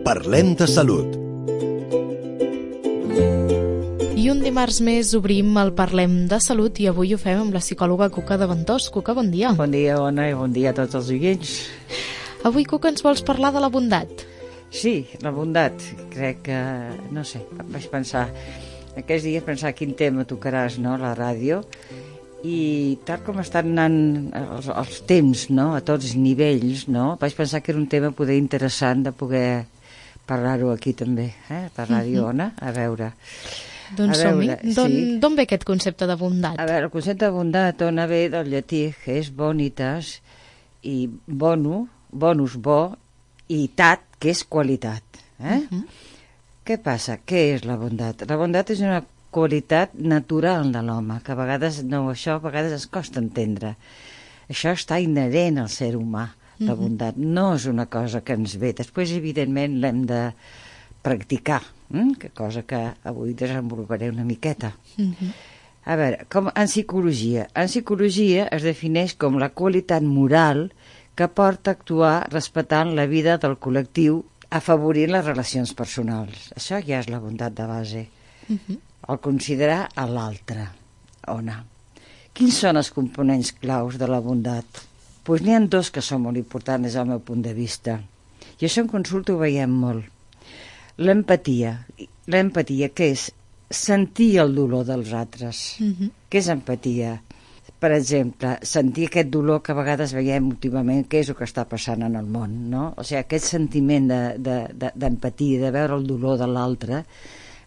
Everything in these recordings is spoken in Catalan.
Parlem de salut. I un dimarts més obrim el Parlem de Salut i avui ho fem amb la psicòloga Cuca de Ventós. Cuca, bon dia. Bon dia, Ona, i bon dia a tots els oients. Avui, Cuca, ens vols parlar de la bondat? Sí, la bondat. Crec que, no sé, vaig pensar, aquests dies pensar quin tema tocaràs, no?, a la ràdio, i tal com estan anant els temps, no?, a tots els nivells, no?, vaig pensar que era un tema poder interessant de poder parlar-ho aquí també, per ràdio, Ona, a veure... Doncs som-hi. D'on ve aquest concepte de bondat? A veure, el concepte de bondat, Ona, ve del llatí, que és bonitas, i bonus, bo, i tat, que és qualitat. Què passa? Què és la bondat? La bondat és una qualitat natural de l'home, que a vegades a vegades es costa entendre. Això està inherent al ser humà, la bondat. No és una cosa que ens ve. Després, evidentment, l'hem de practicar, cosa que avui desenvoluparé una miqueta. A veure, en psicologia es defineix com la qualitat moral que porta a actuar respectant la vida del col·lectiu, afavorint les relacions personals. Això ja és la bondat de base. El considerar a l'altre. Ona. Quins són els components claus de la bondat? Doncs n'hi ha dos que són molt importants des del meu punt de vista. I això en consulta ho veiem molt. L'empatia. L'empatia, què és? Sentir el dolor dels altres. Què és empatia? Per exemple, sentir aquest dolor que a vegades veiem últimament, què és el que està passant en el món, no? O sigui, aquest sentiment d'empatia, de veure el dolor de l'altre,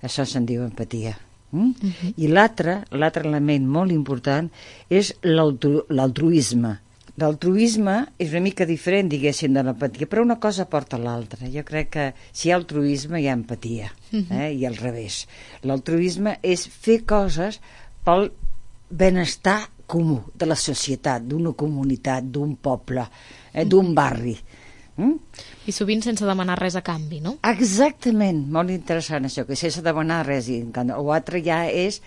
això se'n diu empatia. I l'altre element molt important és l'altruisme. L'altruisme és una mica diferent, diguéssim, de l'empatia, però una cosa porta a l'altra. Jo crec que si hi ha altruisme hi ha empatia, i al revés. L'altruisme és fer coses pel benestar comú de la societat, d'una comunitat, d'un poble, d'un barri. I sovint sense demanar res a canvi, no? Exactament, molt interessant això, que sense demanar res. L'altre ja és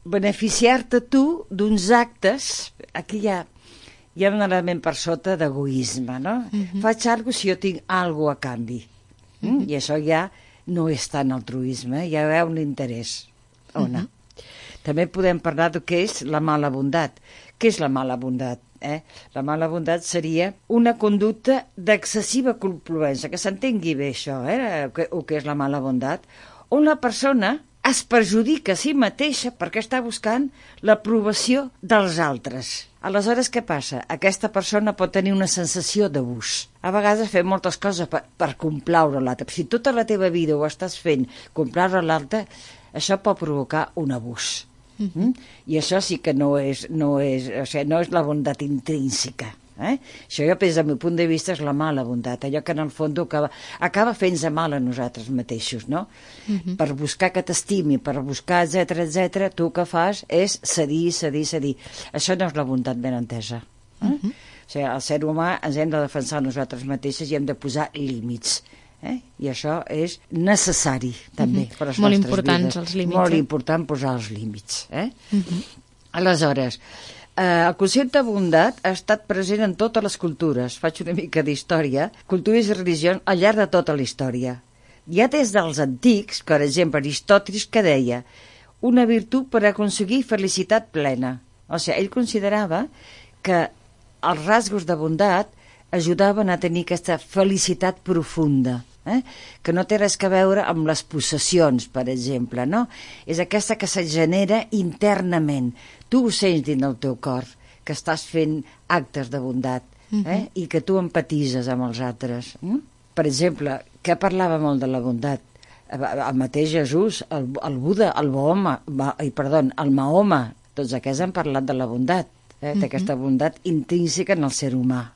beneficiar-te tu d'uns actes, aquí hi ha un element per sota d'egoisme, no? Faig alguna cosa si jo tinc alguna cosa a canvi. I això ja no és tant altruisme, ja hi ha un interès. Ona. També podem parlar de què és la mala bondat. Què és la mala bondat? La mala bondat seria una conducta d'excessiva complaença, que s'entengui bé això, o què és la mala bondat, on la persona es perjudica a si mateixa perquè està buscant l'aprovació dels altres. Aleshores, què passa? Aquesta persona pot tenir una sensació d'abús. A vegades fem moltes coses per complaure l'altre. Si tota la teva vida ho estàs fent complaure l'altre, això pot provocar un abús. I això sí que no és la bondat intrínseca. Això jo, des del meu punt de vista, és la mala bondat, allò que en el fons acaba fent-nos mal a nosaltres mateixos, no? Per buscar que t'estimi, per buscar, etc, tu el que fas és cedir. Això no és la bondat ben entesa. O sigui, el ser humà ens hem de defensar nosaltres mateixes i hem de posar límits. I això és necessari també per a les nostres vides. Molt importants els límits. Molt important posar els límits. Aleshores, el concepte de bondat ha estat present en totes les cultures. Faig una mica d'història. Cultures i religions al llarg de tota la història. Ja des dels antics, per exemple, Aristòteles, que deia una virtut per aconseguir felicitat plena. O sigui, ell considerava que els rasgos de bondat ajudaven a tenir aquesta felicitat profunda, que no té res a veure amb les possessions, per exemple, no? És aquesta que se genera internament. Tu ho sents dins del teu cor, que estàs fent actes de bondat, i que tu empatitzes amb els altres. Per exemple, que parlava molt de la bondat? El mateix Jesús, el Buda, el Mahoma, tots aquests han parlat de la bondat, d'aquesta bondat intrínseca en el ser humà.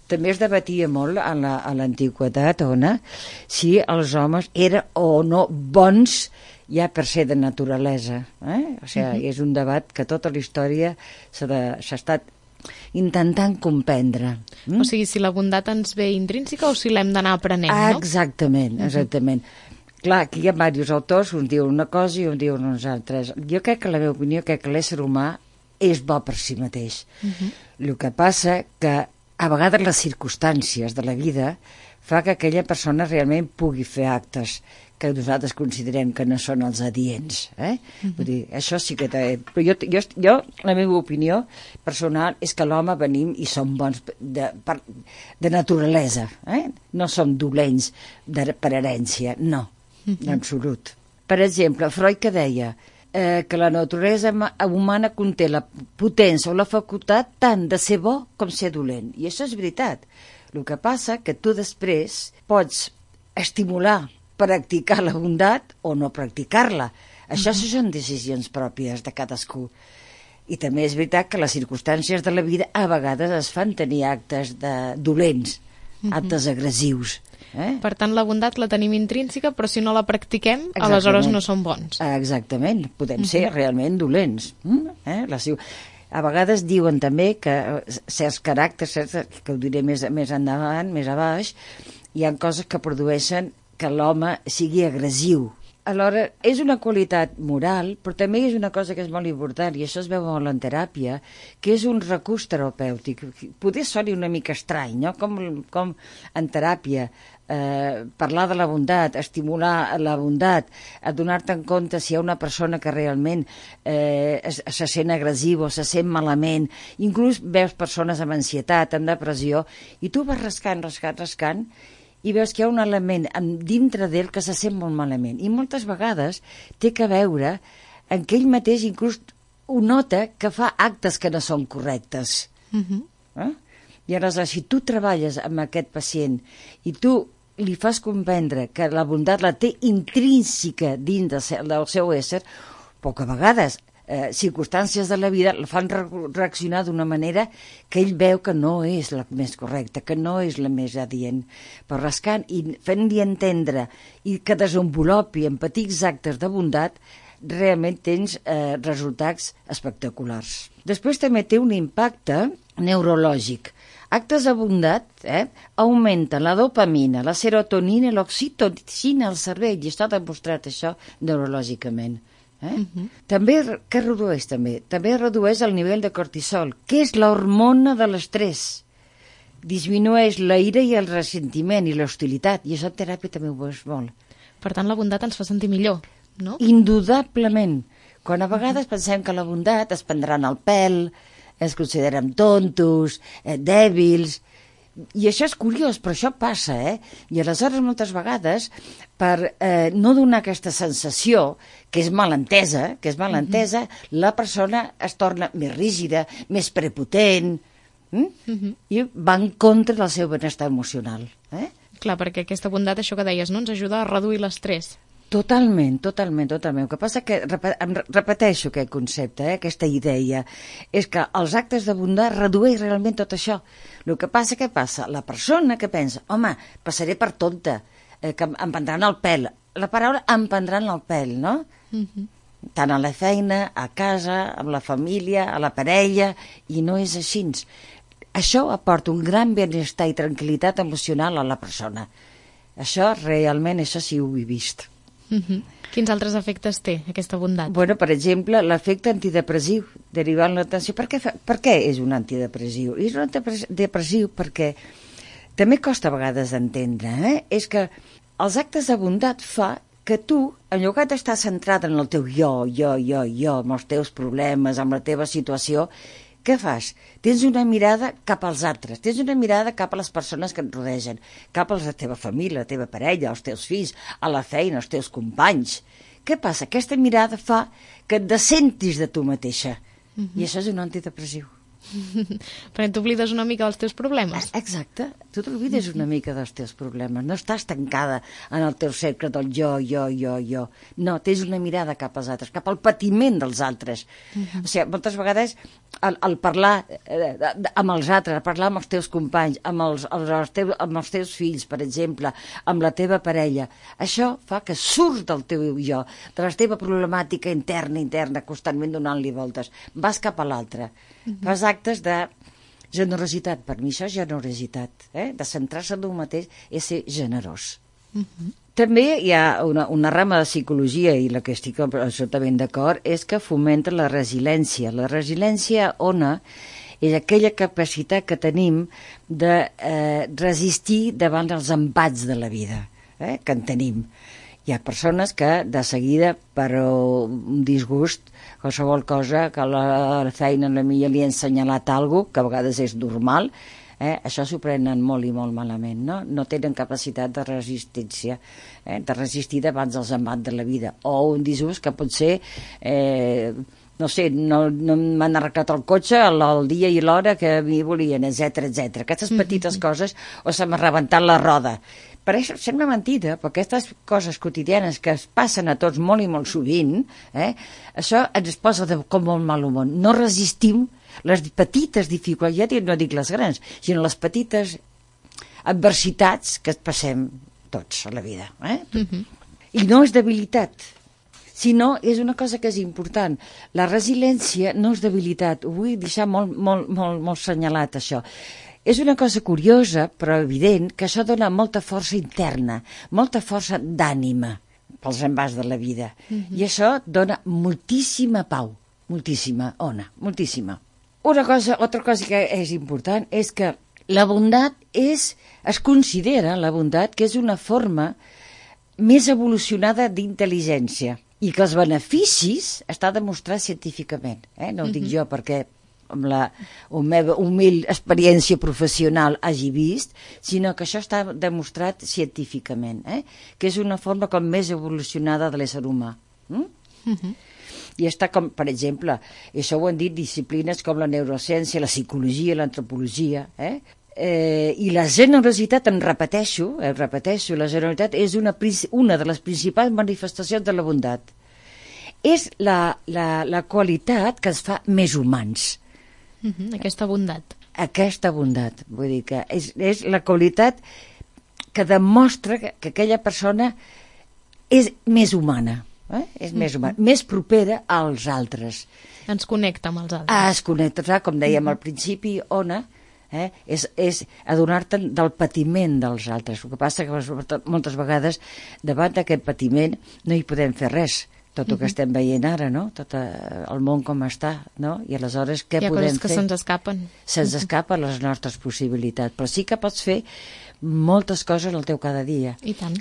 També es debatia molt a l'antiguitat, Ona, si els homes eren o no bons ja per ser de naturalesa. O sigui, és un debat que tota la història s'ha estat intentant comprendre. O sigui, si la bondat ens ve intrínseca o si l'hem d'anar aprenent, no? Exactament. Clar, aquí hi ha diversos autors, uns diuen una cosa i uns diuen uns altres. Jo crec que la meva opinió, que l'ésser humà és bo per si mateix. El que passa que a vegades les circumstàncies de la vida fa que aquella persona realment pugui fer actes que nosaltres considerem que no són els adients. Vull dir, això sí que... Però jo, la meva opinió personal és que l'home venim i som bons de naturalesa. No som dolents per herència, no, en absolut. Per exemple, Freud que deia que la naturalesa humana conté la potència o la facultat tant de ser bo com ser dolent. I això és veritat. El que passa que tu després pots estimular, practicar la bondat o no practicar-la. Això són decisions pròpies de cadascú. I també és veritat que les circumstàncies de la vida a vegades es fan tenir actes dolents, actes agressius. Per tant, la bondat la tenim intrínseca, però si no la practiquem, aleshores no som bons. Exactament, podem ser realment dolents. A vegades diuen també que certs caràcters, que ho diré més endavant, més a baix, hi ha coses que produeixen que l'home sigui agressiu. Alhora, és una qualitat moral, però també és una cosa que és molt important, i això es veu molt en teràpia, que és un recurs terapèutic. Potser soni una mica estrany, no? Com en teràpia, parlar de la bondat, estimular la bondat, adonar-te en compte si hi ha una persona que realment se sent agressiva o se sent malament, inclús veus persones amb ansietat, amb depressió, i tu vas rascant, i veus que hi ha un element dintre d'ell que se sent molt malament. I moltes vegades té que veure en que ell mateix inclús ho nota que fa actes que no són correctes. I aleshores, si tu treballes amb aquest pacient i tu li fas comprendre que la bondat la té intrínseca dins del seu ésser, però que a vegades circumstàncies de la vida el fan reaccionar d'una manera que ell veu que no és la més correcta, que no és la més adient. Però rascant i fent-li entendre i que desenvolupi en petits actes de bondat, realment tens resultats espectaculars. Després també té un impacte neurològic. Actes de bondat augmenten la dopamina, la serotonina i l'oxitocina al cervell, i està demostrat això neurològicament. També, què redueix també? També redueix el nivell de cortisol, que és l'hormona de l'estrès. Disminueix la ira i el ressentiment i l'hostilitat, i això en teràpia també ho veus molt. Per tant, la bondat ens fa sentir millor, no? Indudablement. Quan a vegades pensem que la bondat es prendran el pèl, es consideren tontos, dèbils, i això és curiós, però això passa, I aleshores moltes vegades, per no donar aquesta sensació, que és malentesa, la persona es torna més rígida, més prepotent, i va en contra del seu benestar emocional. Clar, perquè aquesta bondat, això que deies, no? Ens ajuda a reduir l'estrès. Totalment. El que passa que, repeteixo aquest concepte, aquesta idea, és que els actes de bondat redueix realment tot això. El que passa, què passa? La persona que pensa, home, passaré per tonta, que em prendran el pèl. La paraula em prendran el pèl, no? Tant a la feina, a casa, amb la família, a la parella, i no és així. Això aporta un gran benestar i tranquil·litat emocional a la persona. Això realment, això sí ho he vist. Quins altres efectes té aquesta bondat? Bueno, per exemple, l'efecte antidepressiu, derivant l'atenció. Per què és un antidepressiu? És un antidepressiu perquè també costa a vegades d'entendre, és que els actes de bondat fa que tu, en lloc d'estar centrat en el teu jo, amb els teus problemes, amb la teva situació, què fas? Tens una mirada cap als altres, tens una mirada cap a les persones que et rodegen, cap a la teva família, la teva parella, els teus fills, a la feina, els teus companys. Què passa? Aquesta mirada fa que et descentis de tu mateixa. I això és un antidepressiu. Perquè t'oblides una mica dels teus problemes. Exacte, tu t'oblides una mica dels teus problemes, no estàs tancada en el teu cercle del jo. No, tens una mirada cap als altres, cap al patiment dels altres. O sigui, moltes vegades el parlar amb els altres, parlar amb els teus companys, amb els teus fills, per exemple, amb la teva parella, això fa que surts del teu jo, de la teva problemàtica interna, constantment donant-li voltes, vas cap a l'altre. Fas actes de generositat. Per mi això és generositat. De centrar-se en un mateix és ser generós. També hi ha una rama de psicologia, i la que estic absolutament d'acord, és que fomenta la resiliència. La resiliència ona és aquella capacitat que tenim de resistir davant els embats de la vida, que en tenim. Hi ha persones que de seguida per un disgust, qualsevol cosa que a la feina li ha assenyalat alguna cosa, que a vegades és normal, això s'ho prenen molt i molt malament, no? No tenen capacitat de resistència, de resistir davant dels embats de la vida, o un disgust que pot ser no sé, no m'han arreglat el cotxe el dia i l'hora que m'hi volien, etc. Aquestes petites coses, o se m'ha rebentat la roda. Per això sembla mentida, però aquestes coses quotidianes que es passen a tots molt i molt sovint, això ens posa com molt mal humor. No resistim les petites dificultats, ja no dic les grans, sinó les petites adversitats que passem tots a la vida. I no és debilitat, sinó és una cosa que és important. La resiliència no és debilitat, ho vull deixar molt senyalat, això. És una cosa curiosa, però evident, que això dona molta força interna, molta força d'ànima pels embats de la vida. I això dona moltíssima pau, moltíssima, moltíssima. Altra cosa que és important és que la bondat es considera, la bondat, que és una forma més evolucionada d'intel·ligència i que els beneficis està demostrat científicament. No ho dic jo perquè amb la meva humil experiència professional hagi vist, sinó que això està demostrat científicament, que és una forma com més evolucionada de l'ésser humà. I està com, per exemple, això ho han dit disciplines com la neurociència, la psicologia, l'antropologia, i la generositat, repeteixo, la generositat és una de les principals manifestacions de la bondat. És la qualitat que ens fa més humans. Aquesta bondat. Aquesta bondat, vull dir que és la qualitat que demostra que aquella persona és més humana, és més humana, més propera als altres. Ens connecta amb els altres. Es connecta, com dèiem al principi, Ona, és adonar-te del patiment dels altres. El que passa que moltes vegades davant d'aquest patiment no hi podem fer res. Tot el que estem veient ara, no? Tot el món com està, no? I aleshores què podem fer? Hi ha coses que se'ns escapen. Se'ns escapen les nostres possibilitats, però sí que pots fer moltes coses al teu cada dia. I tant.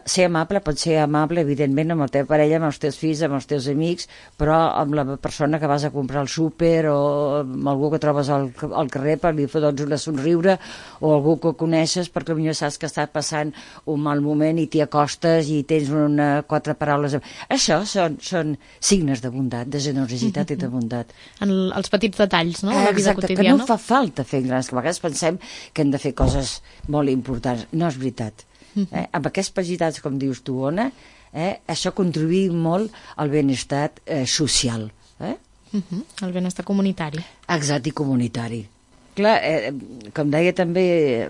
Ser amable pot ser amable, evidentment, amb la teva parella, amb els teus fills, amb els teus amics, però amb la persona que vas a comprar al súper o amb algú que trobes al carrer per li fots una somriure, o algú que coneixes perquè potser saps que està passant un mal moment i t'hi acostes i tens 4 paraules. Això són signes de bondat, de generositat i de bondat. Els petits detalls, no?, de la vida Exacte, quotidiana. que no fa falta fer grans, que a vegades pensem que hem de fer coses molt importants. No és veritat. Amb aquests petits, com dius tu, Ona, això contribuïa molt al benestar social. El benestar comunitari. Exacte, i comunitari. Clar, com deia també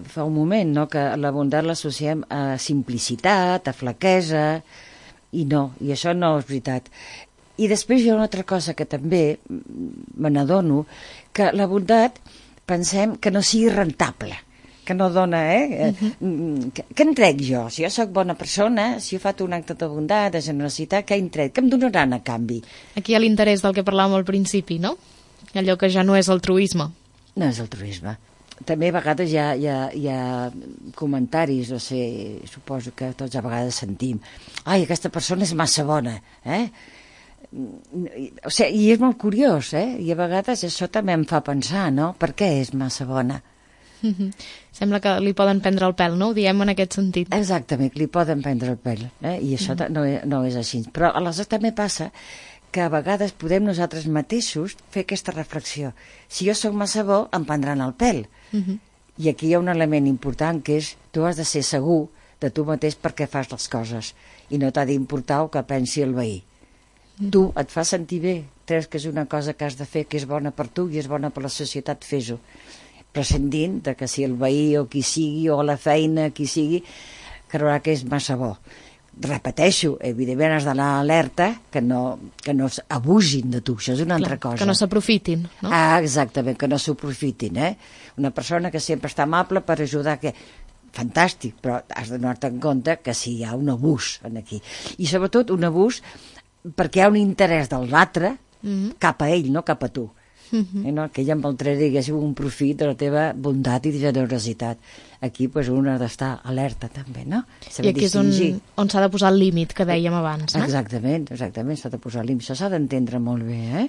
fa un moment, no, que la bondat l'associem a simplicitat, a flaquesa, i això no és veritat. I després hi ha una altra cosa que també me n'adono, que la bondat pensem que no sigui rentable, que no dona, què en trec jo? Si jo sóc bona persona, si jo faig un acte de bondat, de generositat, què en trec? Què em donaran a canvi? Aquí hi ha l'interès del que parlàvem al principi, no? Allò que ja no és altruisme. No és altruisme. També a vegades hi ha comentaris, no sé, suposo que tots a vegades sentim, ai, aquesta persona és massa bona, O sigui, i és molt curiós, i a vegades això també em fa pensar, no? Per què és massa bona? Sembla que li poden prendre el pèl, no? Ho diem en aquest sentit. Exactament, li poden prendre el pèl, i això no és així. Però aleshores també passa que a vegades podem nosaltres mateixos fer aquesta reflexió. Si jo sóc massa bo, em prendran el pèl. I aquí hi ha un element important, que és tu has de ser segur de tu mateix perquè fas les coses i no t'ha d'importar el que pensi el veí. Tu et fa sentir bé, creus que és una cosa que has de fer, que és bona per tu i és bona per la societat, fes-ho. Prescindint de que si el veí o qui sigui, o la feina, qui sigui, creurà que és massa bo. Repeteixo, evidentment has d'anar alerta que no abusin de tu, això és una altra cosa. Que no s'aprofitin, no? Exactament, que no s'aprofitin, Una persona que sempre està amable per ajudar, fantàstic, però has de donar-te en compte que si hi ha un abús aquí. I sobretot un abús perquè hi ha un interès de l'altre cap a ell, no cap a tu. no? Que ella amb altre digués un profit de la teva bondat i generositat. Aquí pues, un ha d'estar alerta també, no? I aquí és on s'ha de posar el límit que dèiem abans, no? Exactament, s'ha de posar el límit. Això s'ha d'entendre molt bé,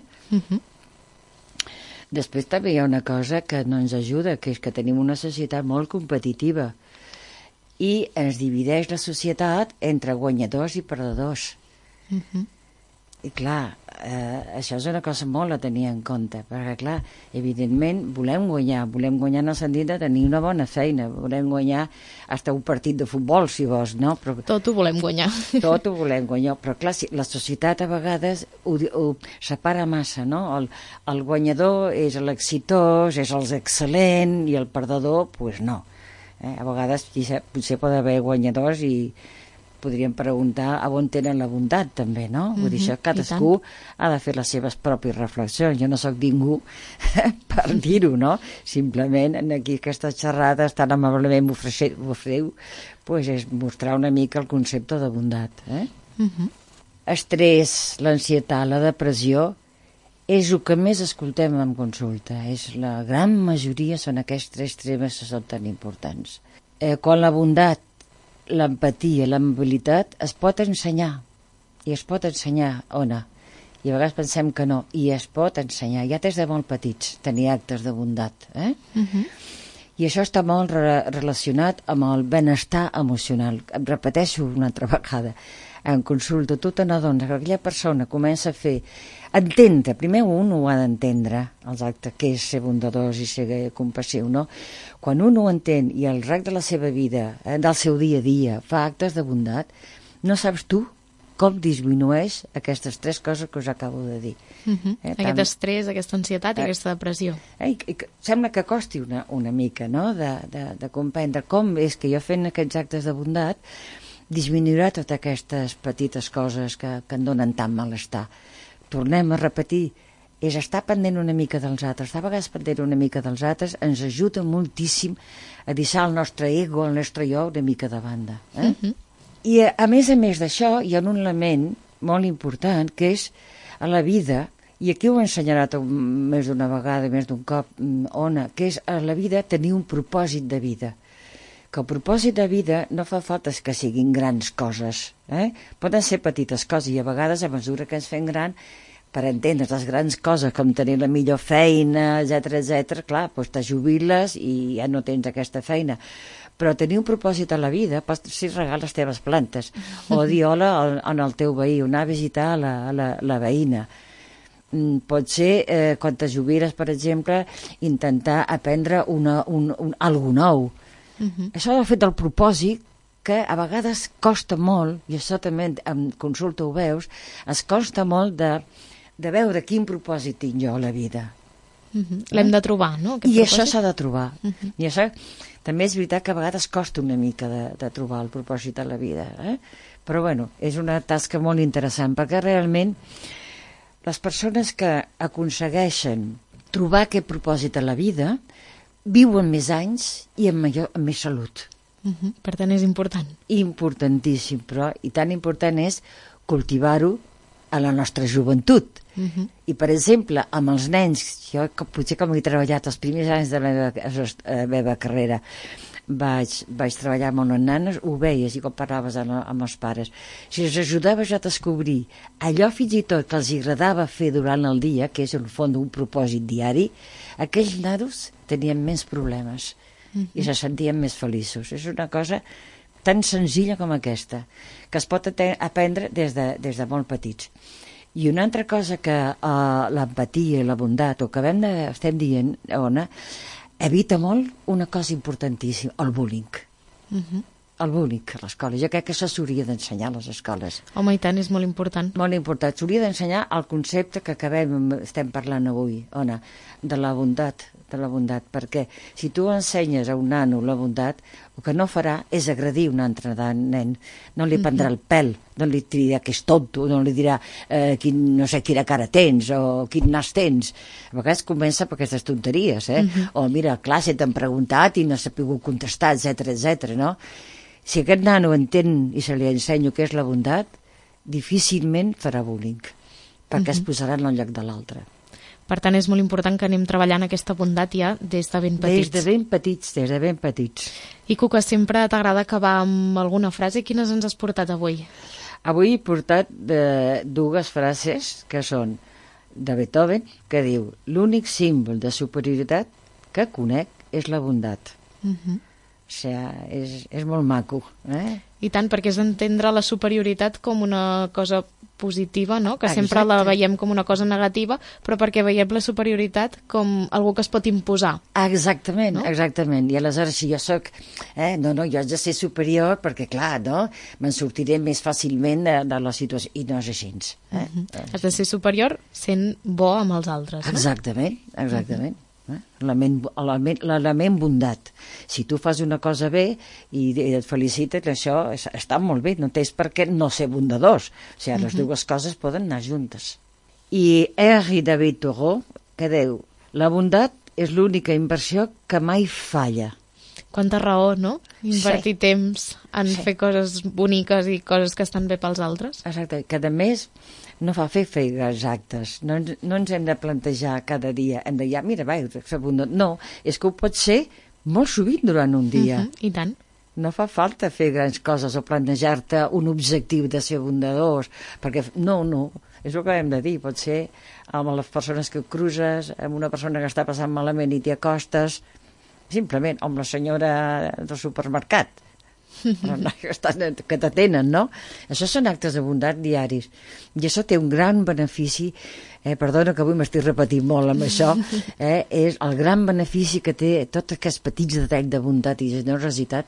Després també hi ha una cosa que no ens ajuda, que és que tenim una societat molt competitiva i ens divideix la societat entre guanyadors i perdedors. I clar, això és una cosa molt a tenir en compte, perquè clar, evidentment volem guanyar en el sentit de tenir una bona feina, volem guanyar fins un partit de futbol, si vols, no? Però, tot ho volem guanyar. Tot ho volem guanyar, però clar, la societat a vegades ho separa massa, no? El guanyador és l'exitós, és l'excel·lent, i el perdedor, doncs no. A vegades potser pot haver guanyadors i podríem preguntar a on tenen la bondat també, no? Vull dir, això cadascú ha de fer les seves pròpies reflexions. Jo no sóc ningú per dir-ho, no? Simplement aquí aquestes xerrades tan amablement m'ofreu pues és mostrar una mica el concepte de bondat. Estrès, l'ansietat, la depressió és el que més escoltem en consulta. La gran majoria són aquests 3 temes que són tan importants. Quan la bondat, l'empatia, l'amabilitat es pot ensenyar, i es pot ensenyar, Ona, i a vegades pensem que no, i es pot ensenyar, ja des de molt petits, tenir actes de bondat, i això està molt relacionat amb el benestar emocional. Em repeteixo una altra vegada, en consulta tu te n'adones que aquella persona comença a fer, entendre, primer un ho ha d'entendre, els actes, que és ser bondadós i ser compassiu, no? Quan un ho entén i al llarg de la seva vida, del seu dia a dia, fa actes de bondat, no saps tu com disminueix aquestes 3 coses que us acabo de dir. Aquest estrès, aquesta ansietat i aquesta depressió. Sembla que costi una mica, no?, de comprendre com és que jo fent aquests actes de bondat disminuirà totes aquestes petites coses que em donen tant malestar. Tornem a repetir, és estar pendent una mica dels altres. Estar a vegades pendent una mica dels altres ens ajuda moltíssim a deixar el nostre ego, el nostre jo, una mica de banda. I a més d'això hi ha un element molt important que és a la vida, i aquí ho he ensenyat més d'una vegada, més d'un cop, Ona, que és a la vida tenir un propòsit de vida. Que el propòsit de vida no fa falta que siguin grans coses, poden ser petites coses, i a vegades a mesura que ens fem gran, per entendre les grans coses com tenir la millor feina, etc, clar, doncs te jubiles i ja no tens aquesta feina, però tenir un propòsit a la vida pot ser regar les teves plantes o dir hola al teu veí, o anar a visitar la veïna. Pot ser, quan te jubiles, per exemple, intentar aprendre algo nou. Això ha fet el propòsit que a vegades costa molt, i això també en consulta ho veus, es costa molt de veure quin propòsit tinc jo a la vida. L'hem de trobar, no? I això s'ha de trobar. I això també és veritat que a vegades costa una mica de trobar el propòsit a la vida. Però bueno, és una tasca molt interessant, perquè realment les persones que aconsegueixen trobar aquest propòsit a la vida viuen més anys i amb més salut. Per tant, és important. Importantíssim, però i tan important és cultivar-ho a la nostra joventut. I, per exemple, amb els nens, jo potser com he treballat els primers anys de la meva carrera, vaig treballar amb unes nanes, ho veies, i quan parlaves amb els pares. Si els ajudaves a descobrir allò fins i tot que els agradava fer durant el dia, que és en el fons un propòsit diari, aquells nanos tenien menys problemes i se sentien més feliços. És una cosa tan senzilla com aquesta, que es pot aprendre des de molt petits. I una altra cosa que l'empatia i la bondat, o que estem dient, Ona, evita molt una cosa importantíssima, el bullying. El bullying a l'escola. Jo crec que això s'hauria d'ensenyar a les escoles. Home, i tant, és molt important. Molt important. S'hauria d'ensenyar el concepte que estem parlant avui, Ona, de la bondat, perquè si tu ensenyes a un nano la bondat, el que no farà és agredir un altre nen. No li prendrà el pèl, no li dirà que és tonto, no li dirà no sé quina cara tens o quin nas tens. A vegades comença per aquestes tonteries, o mira, a classe t'han preguntat i no s'ha pogut contestar, etc, no? Si aquest nano entén i se li ensenyo què és la bondat, difícilment farà bullying, perquè es posarà en el lloc de l'altre. Per tant, és molt important que anem treballant aquesta bondat ja des de ben petits. Des de ben petits. I Cuca, sempre t'agrada acabar amb alguna frase. Quines ens has portat avui? Avui he portat dues frases que són de Beethoven, que diu: l'únic símbol de superioritat que conec és la bondat. O sigui, és molt maco. I tant, perquè és entendre la superioritat com una cosa positiva, no? Que sempre la veiem com una cosa negativa, però perquè veiem la superioritat com algú que es pot imposar. Exactament, no? Exactament. I aleshores, si jo soc... jo haig de ser superior perquè, clar, no? Me'n sortiré més fàcilment de la situació. I no és així. Has de ser superior sent bo amb els altres, no? Exactament. L'element bondat. Si tu fas una cosa bé i et felicites, això està molt bé, no tens per què no ser bondadors. O sigui, les dues coses poden anar juntes. I Henri David Thoreau, que diu: la bondat és l'única inversió que mai falla. Quanta raó, no? Invertir temps en fer coses boniques i coses que estan bé pels altres. Exacte, que a més no fa fer exactes. No ens hem de plantejar cada dia, hem de dir, mira, fer bondat. No, és que ho pot ser molt sovint durant un dia. I tant. No fa falta fer grans coses o plantejar-te un objectiu de ser bondadors, perquè no, és el que hem de dir. Pot ser amb les persones que cruces, amb una persona que està passant malament i t'hi acostes, simplement, amb la senyora del supermercat, que t'atenen, no? Això són actes de bondat diaris i això té un gran benefici, perdona que avui m'estic repetint molt amb això, és el gran benefici que té tots aquests petits detalls de bondat i generositat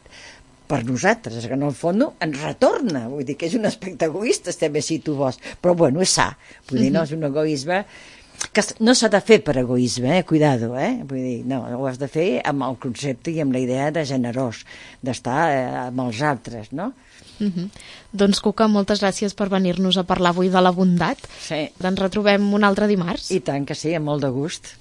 per nosaltres, que en el fons ens retorna, vull dir que és un aspecte egoista també si tu vols, però bueno, és sa, vull dir, no és un egoisme que no s'ha de fer per egoisme, cuidado, vull dir, no, ho has de fer amb el concepte i amb la idea de generós, d'estar amb els altres, no? Doncs, Cuca, moltes gràcies per venir-nos a parlar avui de la bondat. Sí. Ens retrobem un altre dimarts. I tant que sí, amb molt de gust.